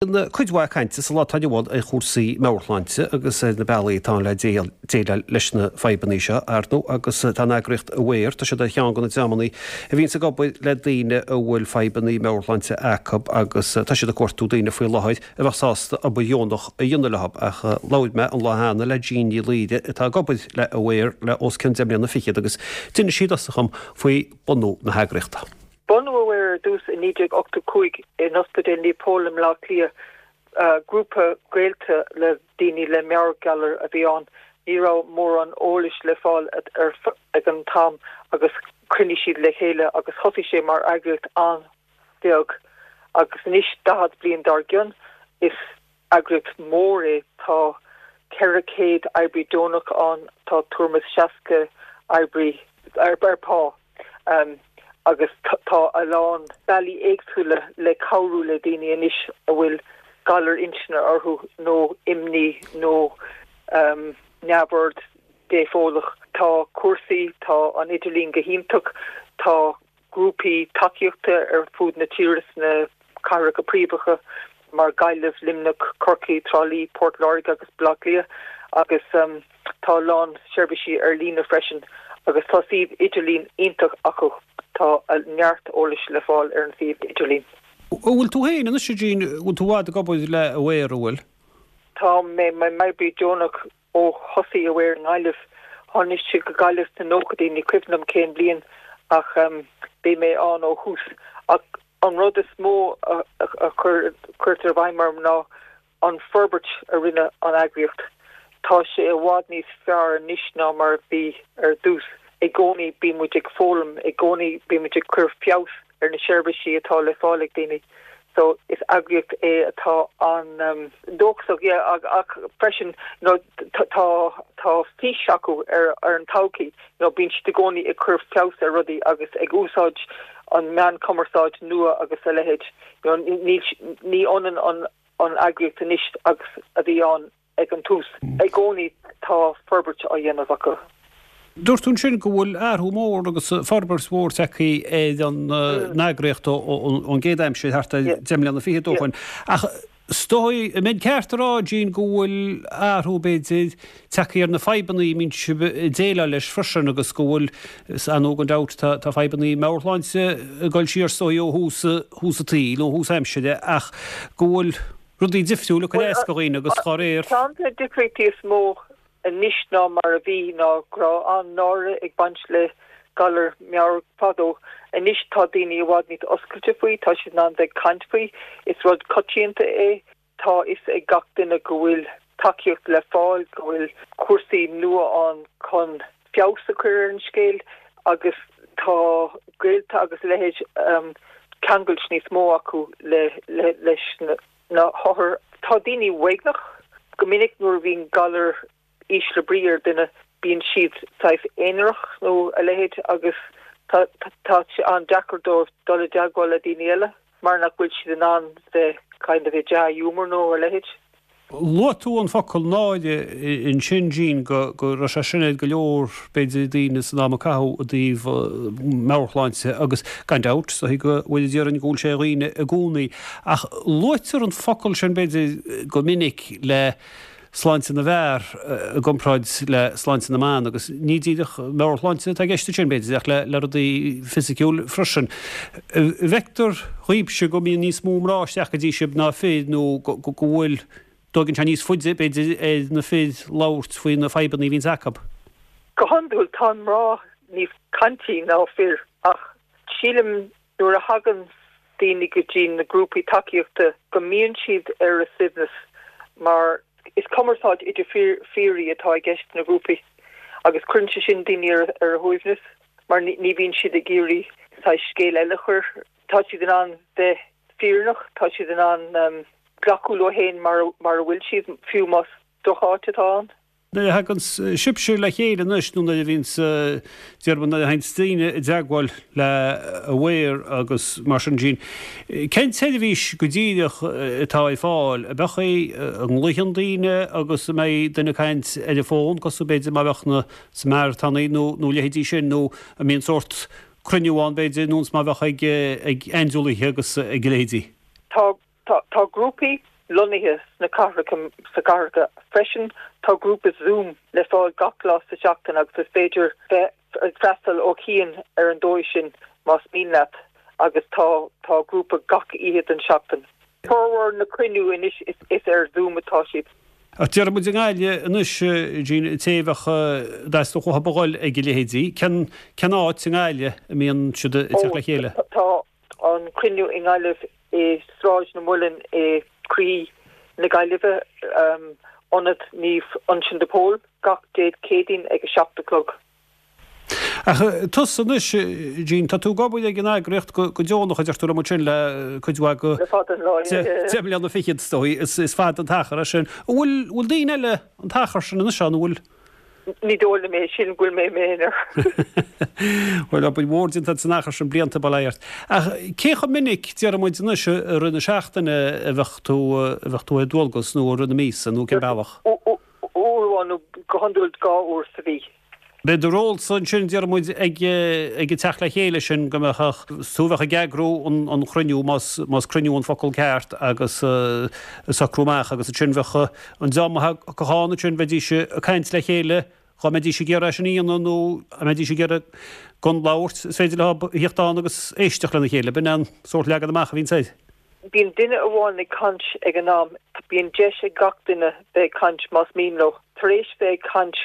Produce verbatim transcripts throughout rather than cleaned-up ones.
Cuid mhaith cainte sa lá atá inniu ann ar chúrsaí meabhairshláinte agus ar na bealaí atá ann le déileáil leis na fadhbanna seo, ar ndóigh, agus tá an eagraíocht Aware, tá siad ar cheann de na dreamanna a bhíonns ag obair le daoine a bhfuil fadhbanna meabhairshláinte acu agus tá siad ag cuartú daoine faoi láthair a bheadh sásta obair dheonach a dhéanamh leo. Ach labhair mé an lá cheana le Jean Ní Laoire atá ag obair le Aware le os cionn deich mbliana fichead agus d'inis sí i dtosach dom faoi bunú na heagraíochta. Bunú Aware ar dtús i naoi déag ochtó cúig in Ospidéal Naomh Pól i mBleá Cliath. Grúpa gaolta le daoine le meabhairghalar a bhí ann. Ní raibh mórán eolais le fáil ag an t-am agus chruinnigh siad le chéile agus thosaigh sé mar eagraíocht an-bheag. Agus anois, daichead bliain dár gcionn, is eagraíocht mhór é. Tá ceithre chéad oibrí deonach ann, tá tuairim is seasca oibrí ar pá. Agus tá a lán bealaí éagsúla le cabhrú le daoine anois a bhfuil galar intinne orthu nó imní nó neamhord dépholach. Tá cúrsaí, tá an idirlíon go hiontach, tá grúpaí tacaíochta ar fud na tíre sna cathracha príomhacha mar Gaillimh, Luimneach, Corcaigh, Trá Lí, Port Láirge agus Baile Átha Cliath agus tá a lán seirbhísí ar líne freisin agus tá suíomh idirlín iontach acu. Tá neart eolais le fáil ar an suíomh idirlín. An bhfuil tú féin anois, a Jean, an bhfuil tú i bhfad ag obair le Aware, an bhfuil? Tá mé i m'oibrí deonach ó thosaigh Aware i nGaillimh. Tháinig siad go Gaillimh sna nóchaidí, ní cuimhin liom cén bhliain ach bhí mé ann ó thús. Ach an rud is mó a chuirtear i bhfeidhm orm ná an forbairt a rinne an eagraíocht. Tá sé i bhfad níos fearr anois ná mar a bhí ar dtús. I gcónaí bíonn muid ag foghlaim, i gcónaí bíonn muid ag cur feabhas ar na seirbhísí atá le fáil ag daoine. So is eagraíocht é atá an-dóchasach, yeah, ach freisin you know tá tá fís acu ar ar an todhchaí. You know bíonn siad i gcónaí ag cur feabhas ar rudaí agus ag úsáid an meán cumarsáid nua agus a leithéid. You know ní ní ionann an an eagraíocht anois agus a bhí ann ag an tús. I gcónaí tá forbairt á dhéanamh acu. Dúirt tú ansin go bhfuil athrú mór agus forbairt mhór tagtha ar an eagraíocht ón gcéad aimsir thart ar deich mbliana fichead ó shin. Ach is dóigh, an mbeinn ceart a rá, Jean, go bhfuil athrú, b'fhéidir, tagtha ar na fadhbanna a mbíonn sibh ag déileáil leis freisin agus go bhfuil, is ar ndóigh gan dabht, tá fadhbanna meabhairshláinte ag dul siar is dóigh ó thús thús an tsaoil, ó thús aimsire ach go bhfuil rudaí difriúil ag cur as do dhaoine agus dá réir. Ceann de na difríochtaí is mó anois ná mar a bhí ná go raibh an-náire ag baint le galar meabhrach fadó. Anois tá daoine i bhfad níos oscailte faoi, tá siad in ann bheith ag caint faoi, is rud coitianta é, tá a fhios ag gach duine go bhfuil tacaíocht le fáil, go bhfuil cúrsaí nua ann chun feabhas a chur ar an scéal agus tá gaolta agus a leithéid ceangailt níos mó acu le leis na hothair. Tá daoine uaigneach. Go minic nuair a bhíonn galar ísle brí ar duine, bíonn siad saghas aonarach nó a leithéid agus tá tá sé an-deacair dóibh dul i dteagmháil le daoine eile mar nach bhfuil siad in ann bheith kind of i dea-ghiúmar nó a leithéid. Luaigh tú an focal náire ansin, Jean, go raibh sé sin ar go leor, b'fhéidir, daoine san am a caitheadh i dtaobh meabhairshláinte agus gan dabht, is dóigh go bhfuil, déarfainn go bhfuil sé ar dhaoine i gcónaí. Ach luaitear an focal sin, b'fhéidir, go minic le sláinte na bhfear i gcomparáid le sláinte na mban agus ní díreach meabhairshláinte atá i gceist ansin, b'fhéidir, ach le rudaí fisiciúil freisin. An bhfeictear dhaoibhse go mbíonn níos mó mná isteach go dtí sibh ná fir nó go bhfuil, dtógann sé níos faide, b'fhéidir, ar na fir labhairt faoi na fadhbanna a bhíonns acu? Go hiondúil tá mná níos caintí ná fir ach sílim nuair a thagann daoine go dtí na grúpaí tacaíochta go mbíonn siad ar a suaimhneas mar is cumarsáid idir phiaraí atá i gceist sna grúpaí agus cuireann sé sin daoine ar a shuaimhneas mar ní bhíonn siad ag iarraidh saghas scéal eile a chur. Tá siad in ann bheith fírinneach, tá siad in ann glacadh leo féin mar mar a bhfuil siad, fiú más drocháit atá ann. Nuair a thagann sibhse le chéile anois nó nuair a bhíonns, déarfainn, nuair a thaganns daoine i dteagmháil le Aware agus mar sin Jean, cén tseirbhís go díreach atá ar fáil? An mbeadh é, an nglaochann daoine agus an mbeidh duine ag caint ar an bhfón cosúil b'fhéidir mar a bheadh na Samaritaigh nó nó leithéidí sin nó an mbíonn sórt cruinniú ann b'fhéidir nós mar a bheadh ag ag aindiúlaithe agus ag a leithéidí? Tá tá grúpaí lonnaithe sna cathracha sa cathracha freisin tá grúpa Zoom le fáil gach lá sa seachtain agus is féidir bheith ag freastal ó chian ar an dóigh sin más mian leat agus tá tá grúpa gach oíche den seachtain. Formhór na cruinniú anois is, is ar Zoom atá siad. Ach deir muid i nGaillimh anois Jean té a bheadh dteastódh uathu a dhul ag a leithéidí, cén cén áit i nGaillimh a mbíonn siad ag teacht le chéile? Tá an cruinniú i nGaillimh i Sráid na Muileann i croí na Gaillimhe um, Ionad Naomh Uinseann de Pól gach Dé Céadaoin ag a seacht a chlog. Ach tusa anois Jean, tá tú ag obair ag an eagraíocht go go deonach a deir tú liom ansin le cuid mhaith go Le fada an lá, yeah, yeah. deich mbliana fichead is dóigh, is is fada an t-achar é sin. An bhfuil bhfuil daoine eile an t-achar sin anois ann, an bhfuil? Ní dóigh liom é sin go bhfuil mé m'aonar. Bhuel obair mhór déanta san achar sin blianta bail ort. Ach cé chomh minic deir muid anois i rith na seachtaine a bheadh tú a bheadh tú ar dualgas nó i rith na míosa nó cén bealach? Uair amháin nó go hiondúil dhá uair sa mhí. B'é do ról-sa ansin deir muid ag ag an teacht le chéile sin go mbeadh tú bheadh ag eagrú an an chruinniú más más cruinniú an focal ceart agus socrú amach agus ansin bheadh an dream a thagadh ansin bheidís ag caint le chéile dhá mbeidís ag iarraidh sin a dhéanamh nó a mbeidís ag iarraidh gan labhairt is féidir leo a theacht ann agus éisteacht lena chéile b'in an sórt leagan amach a bhíonn air. Bíonn duine amháin ag caint ag an am, bíonn deis ag gach duine bheith ag caint más mian leo. Tar éis bheith ag caint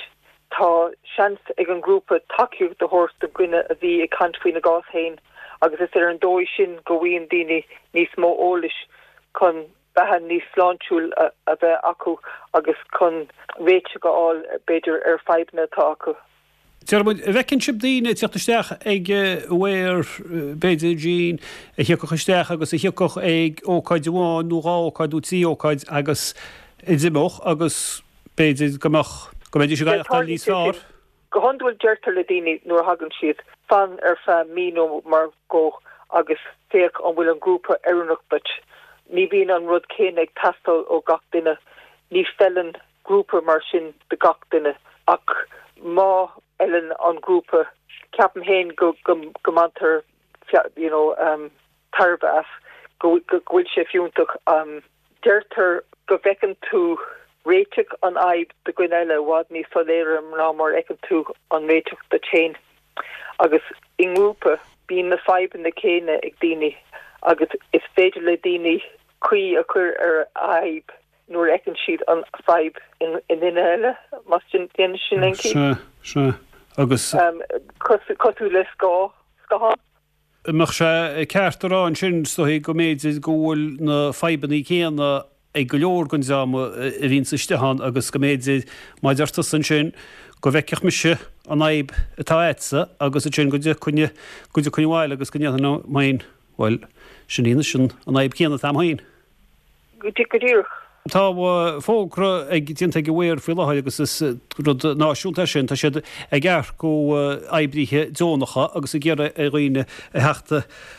tá seans ag an grúpa tacaíocht a thabhairt do dhuine a bhí ag caint faoina gcás féin agus is ar an dóigh sin go bhfaigheann daoine níos mó eolais chun beatha níos sláintiúil a, a bheith acu agus chun réiteach a fháil b'fhéidir ar fadhbanna atá acu. Deir muid, an bhfeiceann sibh daoine ag teacht isteach ag Aware b'fhéidir Jean a thiocfadh isteach agus a thiocfadh ag ócáid amháin nó dhá ócáid nó trí ócáid agus a d'imeodh agus b'fhéidir go mbeadh go mbeidís ag aireachtáil níos fearr. Go hiondúil deirtear le daoine nuair a thagann siad fan ar feadh mí nó mar dhó agus féach an bhfuil an grúpa oiriúnach duit. Ní bhíonn an rud céanna ag teastáil ó gach duine, ní fheileann grúpa mar sin do gach duine ach má fheileann an grúpa ceapaim féin go go go mbaintear you know um, tairbhe as go go bhfuil sé fiúntach um, deirtear go bhfeiceann tú réiteach an fhadhb do dhuine eile i bhfad níos soiléire ná mar a fheiceann tú an réiteach duit féin. Agus i ngrúpa bíonn na fadhbanna céanna ag daoine agus is féidir le daoine caoi a chur ar a fhadhb nuair a fheiceann siad an fhadhb in in duine eile más sin déanann sin aon Sea, sea. Agus um, cosúil le scáth scáthán. Mbeadh sé ceart a rá ansin is dóigh go mb'fhéidir go bhfuil na fadhbanna céanna ag go leor den dream a bhíonns istigh ann agus go mb'fhéidir mar a deir tusa ansin go bhfeicfeadh mise an fhadhb atá agatsa agus ansin go dtiocfainn go dtiocfainn abhaile agus go ndéarfainn liom féin bhuel sin í anois an an fhadhb chéanna atá agam féin. Go díreach. Tá fógra ag déanta ag Aware faoi láthair agus is rud náisiúnta é sin, tá siad ag earcú oibrithe deonacha agus ag iarraidh ar dhaoine a theacht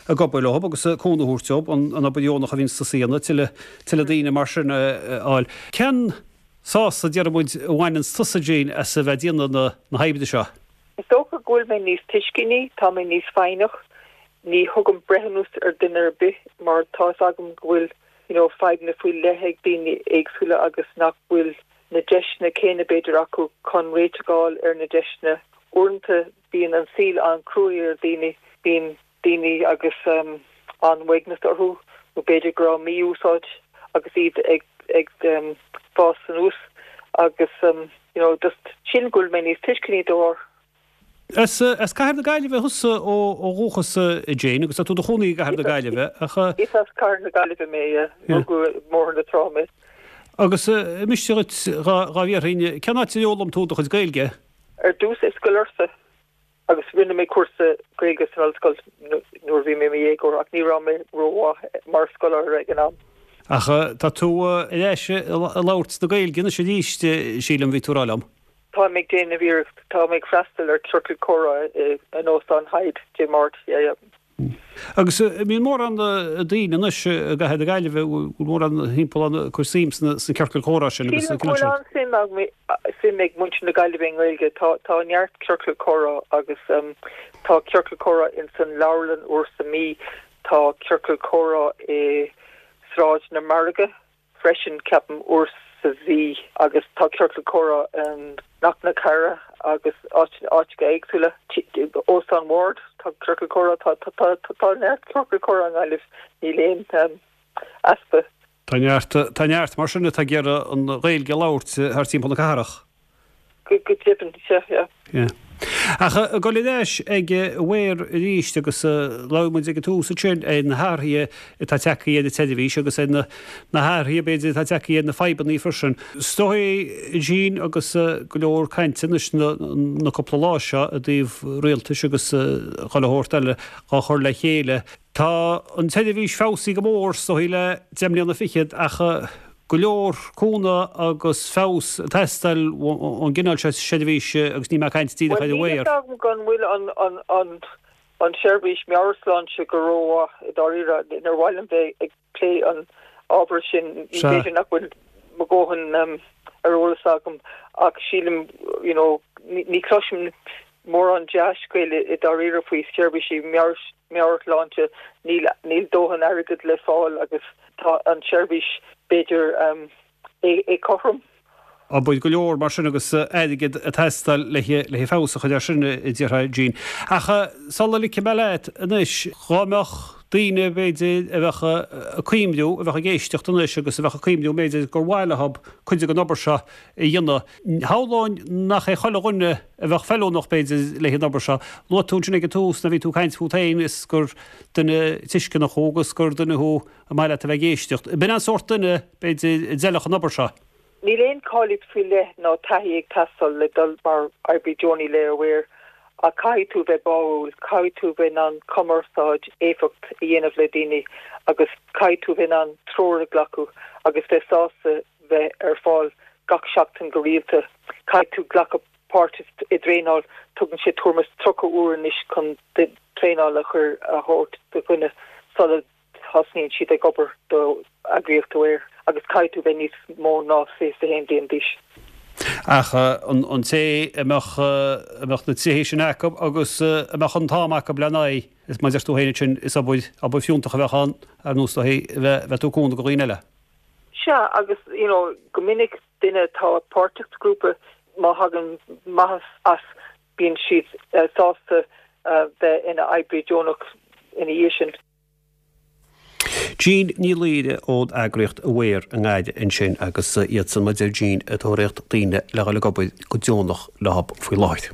ag obair leo agus cúnamh a thabhairt dóibh, an obair dheonach a bhíonns tusa a dhéanamh, tuilleadh tuilleadh daoine mar sin a fháil. Cén sásamh, deir muid, a bhaineanns tusa, Jean, as a bheith ag déanamh na na hoibre seo? Is dócha go bhfuil mé níos tuisceanaí, tá mé níos foighneach, ní thugaim breithiúnas ar duine ar bith mar tá fhios agam go bhfuil you know, fadhbanna faoi leith ag daoine éagsúla agus nach bhfuil na deiseanna céanna b'fhéidir acu chun réiteach a fháil ar na deiseanna. Uaireanta bíonn an saol an-chruaidh ar daoine, bíonn daoine agus um, an-uaigneas orthu nó b'fhéidir go raibh mí-úsáid agus iad ag ag um, fás anuas agus um, you know, just sin go bhfuil mé níos tuisceanaí dá bharr. As as Cathair na Gaillimhe thusa ó ó dhúchas a Jane agus tá tú i do chónaí i gCathair na Gaillimhe ach Is as Cathair na Gaillimhe mé yeah. Rugadh i mBóthar na Trá mé. agus miste dhuit dhá dhá bhfiafraí cén áit ar fhoghlaim tú do chuid Gaeilge? Ar dtús i Scoil Fhursa agus rinne mé cúrsa Gaeilge san ollscoil nuair a bhí mé i mo dhéagóir ach ní raibh mé rómhaith mar scoláire ag an am. Ach tá tú ar ais ag labhairt na Gaeilge anois arís sílim bhí tú ag rá liom. Tá mé ag déanamh iarracht tá mé ag freastal ar ciorcal comhrá in Óstán Hyde Dé Máirt yeah, yeah. Agus bíonn mórán daoine anois i gCathair na Gaillimhe bhfuil mórán timpeall ann ag cur suim sna sna ciorcail chomhrá sin agus Sílim go bhfuil an-suim ag suim ag muintir na Gaillimhe i nGaeilge tá tá neart ciorcal comhrá agus um, tá ciorcal comhrá in san leabharlann uair sa mí tá ciorcal comhrá i Sráid na Margaidh freisin ceapaim uair sa mhí agus tá ciorcal comhrá in Cnoc na Cara agus áiteacha éagsúla Óstán Ward tá ciorcal comhrá tá tá tá neart ciorcal comhrá i nGaillimh níl aon easpa. Tá neart tá neart mar sin atá ag iarraidh an Ghaeilge a labhairt thar timpeall na cathrach. Go go deimhin sea yeah. Yeah. Ach ag dul ar ais ag Aware arís agus labhair muid ag an tús ansin ar na hathruithe atá tagtha ar an tseirbhís agus ar na na hathruithe b'fhéidir atá tagtha ar na fadhbanna freisin. Is dóigh Jean agus go leor cainte anois na na cúpla lá seo i dtaobh rialtais agus chuile shórt eile á chur le chéile. Tá an tseirbhís feabhsaithe go mór is dóigh le deich mbliana fichead ach go leor cúnamh agus feabhas ag teastáil ón gcineál seo seirbhíse agus níl mé ag caint díreach ar Aware. Níl a fhios agam go bhfuil an an an an seirbhís meabhairshláinte go rómhaith i dáiríre. Níor mhaith liom bheith ag plé an ábhar sin, b'fhéidir nach bhfuil mo dhóthain ar eolas agam ach sílim you know ní chloisim mórán dea-scéal i dáiríre faoi seirbhísí meabhairshláinte, níl níl dóthain airgid le fáil agus tá an tseirbhís b'fhéidir éagothrom. Obair go leor mar sin agus airgead ag teastáil le le feabhas a chur air sin a déarfá Jean. Ach sula ligfidh mé leat anois, dhá mbeadh daoine b'fhéidir a bheadh ag cuimhniú, a bheadh ag éisteacht anois agus a bheadh ag cuimhniú b'fhéidir gur mhaith leo cuid den obair seo a dhéanamh. Shamhlóinn nach é chuile dhuine a bheadh feiliúnach b'fhéidir le an obair seo. Luaigh tú ansin ag an tús nuair a bhí tú ag caint fút féin is gur duine tuisceanach thú agus gur duine thú ar mhaith leat a bheith ag éisteacht. B'in an sórt duine b'fhéidir a d'fheilfeadh an obair seo. Níl aon cáilíocht faoi leith ná taithí ag teastáil le dul mar oibrí deonaí le Aware ach caithfidh tú bheith báúil, caithfidh tú bheith in ann cumarsáid éifeacht a dhéanamh le daoine agus caithfidh tú bheith in ann treoir a ghlacadh agus bheith sásta bheith ar fáil gach seachtain go rialta. Caithfidh tú glacadh páirt i dtraenáil, tugann sé tuairim is tríocha uair anois chun traenáil a chur a thabhairt do dhuine sula thosnaíonn siad ag obair do eagraíocht Aware agus caithfidh tú bheith níos mó ná fiche a haon bliain d'aois. Ach an té a mbeadh a mbeadh na tréithe sin acu agus a mbeadh an t-am acu lena aghaidh, is mar a deir tú féin ansin, is obair obair fiúntach a bheadh ann ar nós é a bheith tú ag cúnamh do dhaoine eile. Sea, agus you know, go minic duine atá páirteach sa grúpa má thagann maitheas as bíonn siad sásta bheith ina oibrí deonach ina dhiaidh sin. Jean Ní Laoire ón eagraíocht Aware i nGaillimh ansin agus iadsan mar a deir Jean ag tóraíocht daoine le dhul ag obair go deonach leo faoi láthair.